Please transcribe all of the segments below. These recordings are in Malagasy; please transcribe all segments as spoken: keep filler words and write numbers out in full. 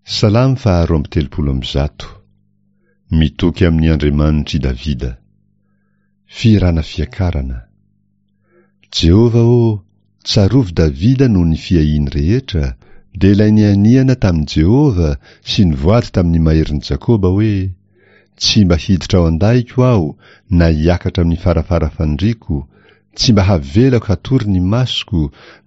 Salamo faharoa amby telopolo amby zato. Mitoky amin'ny Andriamanitr'i Davida. Fihirana fiakarana. Jehovah ô, tsarovy Davida noho ny fiahiany rehetra, dia ilay nianiana tamin'i Jehovah sy nivoady tamin'ny maherin'i Jakoba hoe, Tsy mba hiditra ao an-dahiko aho na hiakatra amin'ny farafara fandriako, tsy mba havelako hatory ny masoko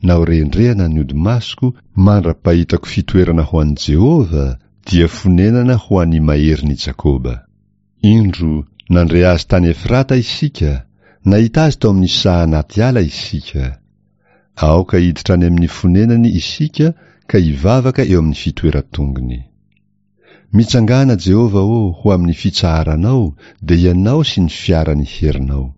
na ho rendrehana ny odi-masoko mandra-pahitako fitoerana ho an'i Jehovah, dia fonenana ho an'ny maherin'i Jakoba. Indro, nandre azy tany Efrata isika, nahita azy tao amin'ny saha anaty ala isika. Aoka hiditra any amin'ny fonenany isika ka hivavaka eo amin'ny fitoeran-tongony. Mitsangàna, Jehovah ô, ho amin'ny fitsaharanao, dia Ianao sy ny fiaran'ny herinao.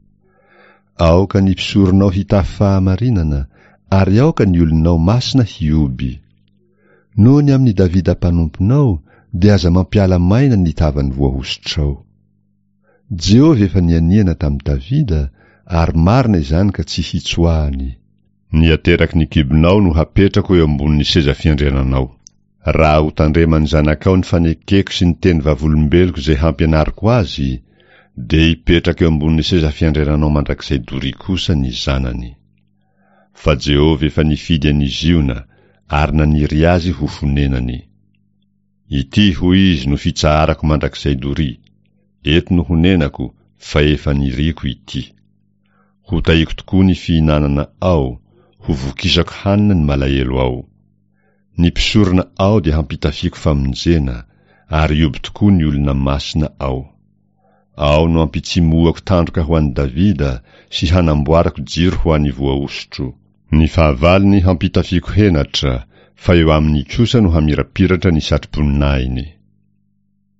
Aoka ny mpisoronao hitafy fahamarinana, ary aoka ny olonao masina hihoby. Noho ny amin'i Davida mpanomponao, dia aza mampiala maina ny tavan'ny voahosotrao. Jehovah efa nianiana tamin'i Davida, ary marina izany ka tsy hitsoahany. Ny ateraky ny kibonao no hapetrako eo ambonin'ny seza fiandriananao. Raha hotandreman'ny zanakao ny fanekeko sy ny teny vavolombeloko izay hampianariko azy, dia hipetraka eo ambonin'ny seza fiandriananao mandrakizay doria kosa ny zanany. Fa Jehovah efa nifidy an'i Ziona ary naniry azy ho fonenany. Ity, hoy izy, no fitsaharako mandrakizay doria, eto no honenako, fa efa niriako ity. Hotahiko tokoa ny fihinanana ao, ho vokisako hanina ny malahelo ao. Ny mpisorona ao dia hampitafiako famonjena, ary hihoby tokoa ny olona masina ao. Ao no hampitsimohako tandroka ho an'i Davida sy hanamboarako jiro ho an'ny voahosotro. Ny fahavalony hampitafiako henatra, fa eo aminy kosa no hamirapiratra ny satroboninahiny.